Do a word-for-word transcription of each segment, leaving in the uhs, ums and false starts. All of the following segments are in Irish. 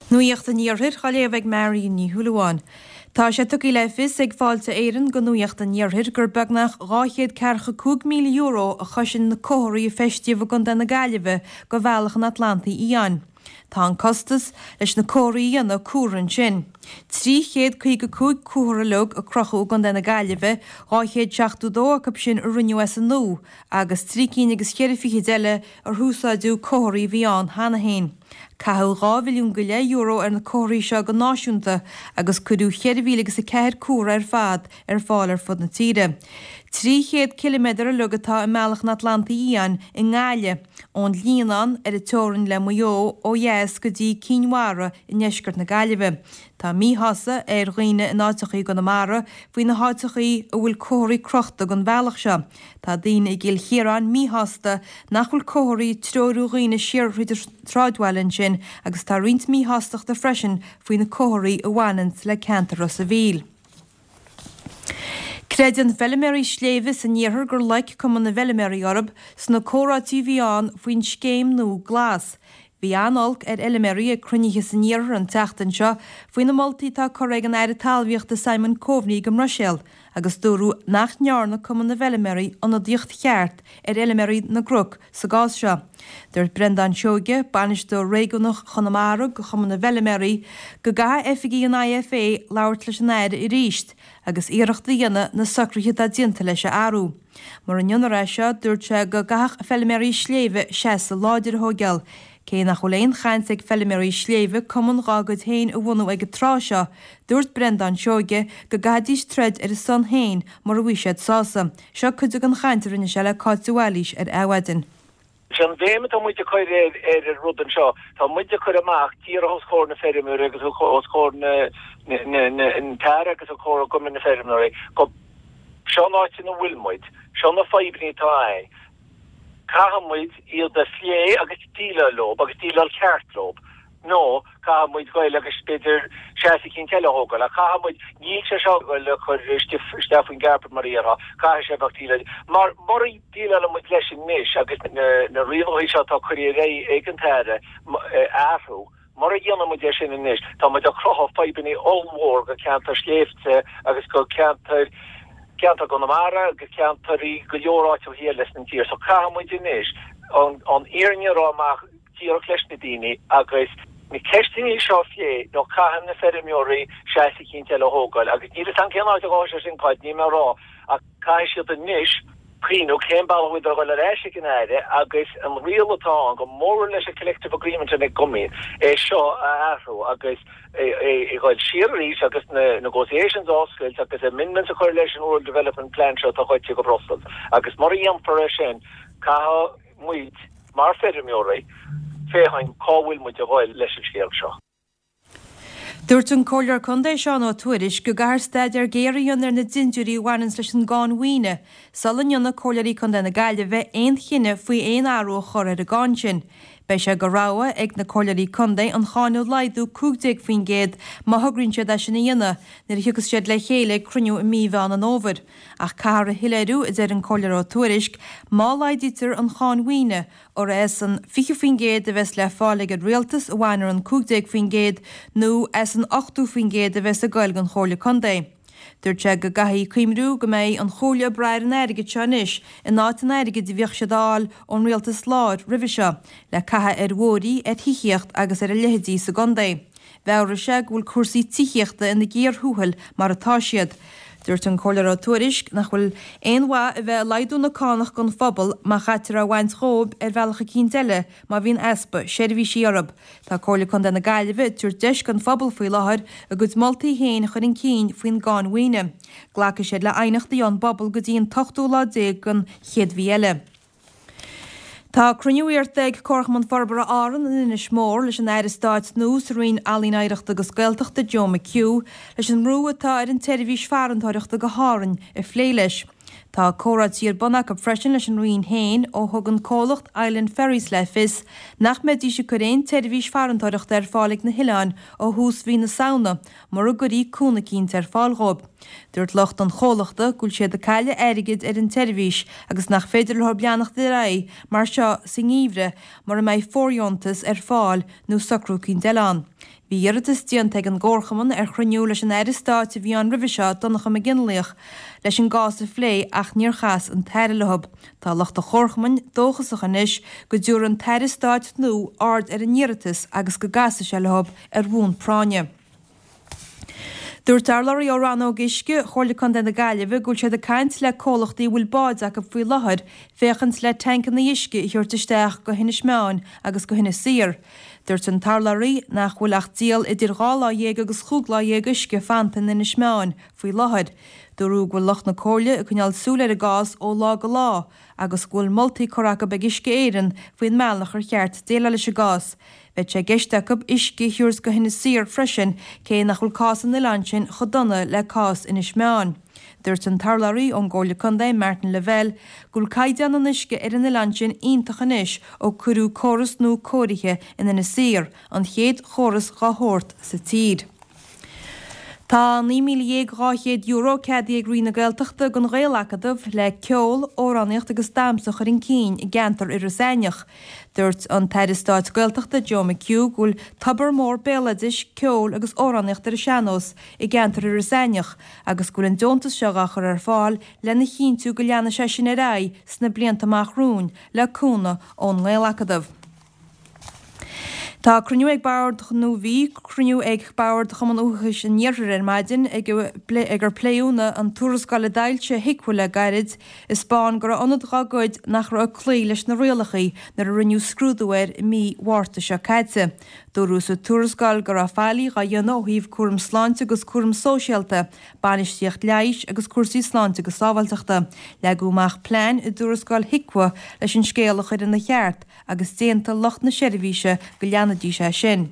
Nuacht an Iarthair á léamh ag Marion Ní Shúilleabháin. Tá sé tugtha le fios ag Fáilte Éireann go Nuacht an Iarthair gur beagnach dhá chéad ceathracha cúig míle euro a chosain na comharthaí a feistíodh i gContae na Gaillimhe go Bhealach an Atlantaigh Fhiáin. Tá an costas leis na comharthaí a dhéanamh cuartha ansin. Trí chéad caoga cúig comhartha uilig a crochadh i gContae na Gaillimhe, dhá chéad seachtó dó acu sin a rinneadh as an nua agus trí cinn agus ceithre fichid eile ar húsáideadh comharthaí a bhí ann cheana féin. Caitheadh dhá mhilliún go leith euro ar na comharthaí seo go náisiúnta agus cuireadh ceithre mhíle agus a ceathair comhartha ar fad ar fáil ar fud na tíre. Trí chéad ciliméadar uilig atá i mBealach an Atlantaigh Fhiáin i nGaillimh, ón Líonán ar an teorainn le Maigh Eo ó dheas go dtí Cinn Mhara i ndeisceart na Gaillimhe. Tá míshásamh ar dhaoine in áiteachaí i gConamara faoi na háiteachaí a bhfuil comharthaí crochta don bhealach seo. Tá daoine i gCill Chiaráin míshásta nach bhfuil comharthaí ag treorú dhaoine siar thríd an sráidbhaile ansin agus tá roinnt míshástachta freisin faoi na comharthaí a bhaineann le ceantar Ros an Mhíl. Creideann feilméaraí sléibhe san iarthar gur loic Cumann na bhFeilméaraí orthu sna comhráití a bhí ann faoin scéim nua glas. Bhí an-olc ar fheilméaraí ag cruinnithe san iarthar an tseachtain seo faoi na moltaí atá curtha ag an Aire Talmhaíochta Simon Coveney go mBruiséil agus dúradh nach ndearna Cumann na bhFeilméaraí ionadaíocht cheart ar fheilméaraí na gcnoc sa gcás seo. Dúirt Breandán Seoige, bainisteoir réigiúnach Chonamara go Chumann na bhFeilméaraí, go gcaithfidh oifigigh an IFA labhairt leis an Aire arís agus iarracht a dhéanamh na socruithe atá déanta leis a athrú. Mura ndéanfar é seo, dúirt sé go gcaithfeadh feilméaraí sléibhe seasamh láidir a thógáil. Cé nach bhfuil aon chaint ag feilméaraí sléibhe cumann dá gcuid féin a bhunú ag an tráth seo, dúirt Breandán Seoige go gcaithfidís troid ar a son féin mura bhfuil siad sásta. Seo cuid den chaint a rinne sé le Cáit de Bhailís ar Adhmhaidin. Sé an bhéim atá muid ag cur ar ar an rud anseo, tá muid ag cur amach díreach os comhair na feirmeoirí agus os comhair na na an tAire agus os comhair Chumann na Feirmeoirí go seo an áit ina bhfuil muid, seo na fadhbanna atá ann. Caithfidh muid iad a phlé agus déileáil leo agus déileáil ceart leo. Nó caithfidh muid goil agus b'fhéidir seasamh eicínt eile a thógáil. Ach caithfidh muid, níl sé seo ag goil a chur isteach faoin gcarpet mar a déarfá, caithfidh sé bheith déileáil. Mar mura déileálann muid leis anois agus na rialacha seo atá curtha ar aghaidh ag an tAire a athrú, mura dhéanann muid é sin anois, tá muid ag cruthú fadhbanna ollmhór go ceantar sléibhte agus go ceantar ceantar Chonamara agus ceantar go leor áiteacha eile san tír. So caithfidh muid anois an an fhírinne a rá amach díreach leis na daoine agus na ceisteanna seo a phlé nó caithfidh na feirmeoirí seasamh eicínt eile a thógáil agus níl a fhios agam cén áit a ghabhfaidh sé sin Cáit, níl mé ag rá ach caithfidh siad anois cuimhniú cén bealach a bhfuil a dhul ar ais ag an Aire agus an riail atá ann go mór leis an collective agreement ag an gcumann é seo a athrú agus é a dhul siar arís agus na negotiations a oscailt agus amendments a chur leis an Rural Development Plan seo atá goite go Brussels agus mura dhéanfar é sin caithfidh muid mar feirmeoirí féachaint cá bhfuil muid a dhul leis an scéal seo. Dúirt an Comhairleoir Contae Seán Ó Tuairisg go gcaithfear staidéar géar a dhéanamh ar na dintiúirí a bhaineann leis an gcáin mhaoine, sula ndéanfaidh Comhairleoirí Contae na Gaillimhe aon chinneadh faoi aon athrú a chur ar an gcáin sin. Beidh sé go rogha ag na Comhairleoirí Contae an cháin a laghdú cúig déag faoin gcéad má thograíonn siad é sin a dhéanamh nuair a thiocfas siad le chéile ag cruinniú i mí Mheán an Fhómhair. Ach caithfear a shoiléiriú, a deir an Comhairleoir Ó Tuairisg, má laghdaítear an cháin mhaoine, gur as an fiche faoin gcéad a bheas le fáil ag an rialtas a bhainfear an cúig déag faoin gcéad nó as an ochtó faoin gcéad a bheas ag goil don Chomhairle Contae. Dúirt sé go gcaithfidh cuimhniú go mbeidh an Chomhairle ag brath ar an airgead seo anois in áit an airgid a bhíodh siad a fháil ón rialtas láir roimhe seo, le caitheamh ar bhóithrí, ar thithíocht agus ar a leithéidí sa gcontae. Mheabhraigh sé go bhfuil cúrsaí tithíochta ina gcíor thuathail mar atá siad. Dúirt an Comhairleoir Ó Tuairisg nach bhfuil aon mhaith a bheith ag laghdú na cánach don phobal má chaitear á bhaint dhóibh ar bhealach eicínt eile má bhíonn easpa seirbhísí orthu. Tá Comhairle Contae na Gaillimhe ag tabhairt deis don phobal faoi láthair a gcuid moltaí féin a chur chun cinn faoin gcáin mhaoine. Glacfaidh siad le haighneachtaí ón bpobal go dtí an t-ochtú lá déag den chéad mhí eile. Tá cruinniú iarrta ag Comharchumann Forbartha Árann in Inis Mór leis an Aire Stáit nua sa Roinn Ealaíon Oidhreachta agus Gaeltachta Joe McHugh leis an mbrú atá ar an tseirbhís farantóireachta go hÁrainn a phlé leis. Tá comhráití ar bun acu freisin leis an Roinn féin ó thug an comhlacht Island Ferries le fios nach mbeidís ag cur aon tseirbhís farantóireachta ar fáil ag na hoileáin ó thús mhí na Samhna mura gcuirí cúnamh eicínt ar fáil dhóibh. Dúirt lucht an chomhlachta go bhfuil siad ag cailleadh airgid ar an tseirbhís agus nach féidir leo leanacht ar aghaidh mar seo sa ngeimhreadh mura mbeidh fóirdheontas ar fáil nó socrú eicínt eile ann. Bhí iarratas déanta ag an gcomharchumann ar chruinniú leis an Aire Stáit a bhí ann roimhe seo, Donncha Mac Fhionnlaoich, leis an gcás a phlé ach níor chas an tAire leo. Tá lucht an chomharchumainn dóchasach anois go dtabharfaidh an tAire Stáit nua aird ar a n-iarratas agus go gcasfaidh sé leo ar bhonn práinne. Dúirt urlabhraí ó Rannóg Uisce Chomhairle Contae na Gaillimhe go bhfuil siad ag caint le comhlachtaí a bhfuil báid acu faoi láthair féachaint le tancanna uisce a thabhairt isteach go hInis Meáin agus go hInis Oírr. Dúirt an t-urlabhraí nach bhfuil ach díol idir dhá lá dhéag agus chúig lá dhéag uisce fanta in Inis Meáin faoi láthair. Dúradh go bhfuil lucht na Comhairle ag coinneáil súil ar an gcás ó lá go lá agus go bhfuil moltaí curtha acu ag Uisce Éireann faoin mbealach ar cheart déileáil leis an gcás. Bheadh sé i gceist acu uisce a thabhairt go hInis Oírr freisin, cé nach bhfuil cás an oileáin sin chomh dona le cás Inis Meáin. Dúirt an t-urlabhraí ón gComhairle Contae, Martin Lavelle, go bhfuil caighdeán an uisce ar an oileán sin iontach anois ó cuireadh córas nua cóirithe in Inis Oírr, an chéad chóras dhá shórt sa tír. Tá naoi míle dhéag dhá chéad euro ceadaithe ag Roinn na Gaeltachta don Ghaelacadamh le ceol, amhránaíocht agus damhsa a chur chun cinn i gceantar Iorras Aithneach. Dúirt an tAire Stáit Gaeltachta Joe McHugh go bhfuil tobar mór béaloidis, ceoil agus amhránaíocht ar an sean-nós i gceantar Iorras Aithneach agus go bhfuil an deontas seo á chur ar fáil lena chinntiú go leanfaidh sé sin ar aghaidh sna blianta amach romhainn le cúnamh ón nGaelacadamh. Tá cruinniú ag Bord nó bhí cruinniú ag Bord Chumann Uathachais an Iarthair ar maidin ag ag ar pléadh an tuarascáil a d'fhoilsigh HIQA le gairid a 'spáin go raibh ionad dá gcuid nach raibh ag cloí leis na rialacha nuair a rinneadh scrúdú air i mí Mhárta seo caite. Dúradh sa tuarascáil go raibh faillí á dhéanamh ó thaobh cúram sláinte agus cúram sóisialta, bainistíocht leighis agus cúrsaí sláinte agus sábháilteachta. Leagadh amach plean i dtuarascáil HIQA leis an scéal a chur ina cheart agus d'aontaigh lucht na seirbhíse go leanfaidís é sin.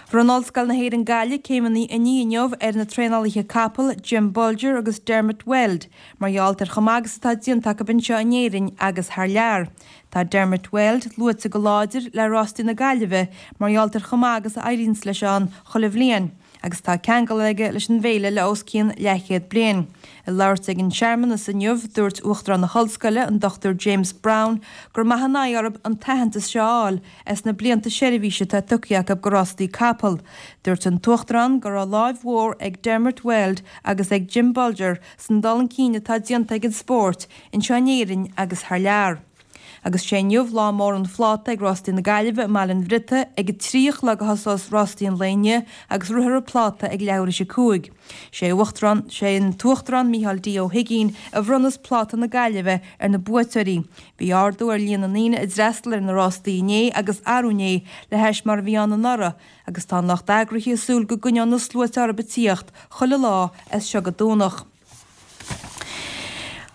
Bhronn Ollscoil na hÉireann Gaillimh céimeanna oinigh inniu ar na traenálaithe capall Jim Bolger agus Dermot Weld mar gheall ar chomh maith agus atá déanta acu anseo in Éirinn agus thar lear. Tá Dermot Weld luaite go láidir le rástaí na Gaillimhe mar gheall ar chomh maith agus a éiríonn leis ann chuile bhliain agus tá ceangal aige leis an bhféile le os cionn leathchéad bliain. Ag labhairt ag an searmanas inniu, dúirt Uachtarán na hOllscoile, an Dochtúir James Browne, gur maith an aghaidh orthu an t-aitheantas seo a fháil as na blianta seirbhíse atá tugtha acu go rástaí capall. Dúirt an tUachtarán go raibh láimh mhór ag Dermot Weld agus ag Jim Bolger san dul chun cinn atá déanta ag an spórt anseo in Éirinn agus thar lear. Agus sé inniu lá mór an phláta ag Rástaí na Gaillimhe i mBaile an Bhriotaigh ag a trí a chlog a thosós rástaí an lae inniu agus rithfear an pláta ag leathuair théis a cúig. Sé Uachtarán sé an tUachtarán Micheál D. Ó hUigínn a bhronnfas pláta na Gaillimhe ar na buaiteoirí. Bhí ardú ar líon na ndaoine a d'fhreastail ar na rástaí inné agus arú inné le hais mar a bhí ann anuraidh agus tá an lucht eagraithe ag súil go gcoinneoidh na sluaite orthu ag tíocht chuile lá as seo go Domhnach.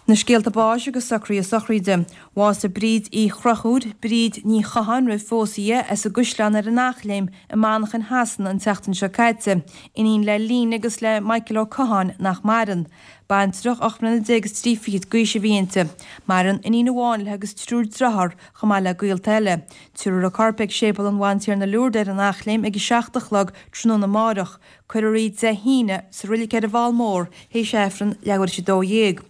Na scéalta báis agus socruithe sochraide. Bhásaigh Bríd Uí Chrochúir, Bríd Ní Chatháin roimh phósadh di, as an gCaisleán ar an Eachléim i Manchain Shasana an tseachtain seo caite, iníon le Line agus le Michael Ó Catháin nach maireann. Baintreach ocht mbliana déag is trí fichid d'aois a bhí inti. Maireann iníon amháin léi agus triúr dearthár chomh maith le gaolta eile. Tabharfar a corp ag Séipéal an Bhantiarna Lourdes ar an Eachléim ag a seacht a chlog tráthnóna amárach. Cuirfear í Dé hAoine sa reilig ar an bhFál Mór théis Aifreann leathuair théis a dó dhéag.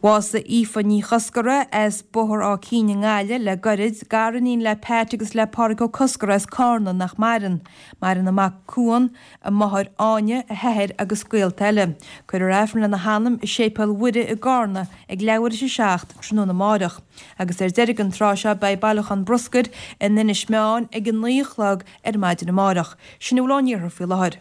Bhásaigh Aoife Ní Choscara as Bóthar Áth Cinn i nGaillimh le gairid, gariníon le Pat agus le Pádraig Ó Coscara as Cárna nach maireann. Maireann a mac Cuan, a máthair Áine, a hathair agus gaolta eile. Cuirfear Aifreann lena hanam i Séipéal Mhuire i gCárna ag leathuair théis a seacht tráthnóna amárach. Agus ar deireadh an tráth seo beidh bailiúchán bruscair in Inis Meáin ag a naoi a chlog ar maidin amárach. Sin a bhfuil ón iarthar faoi láthair.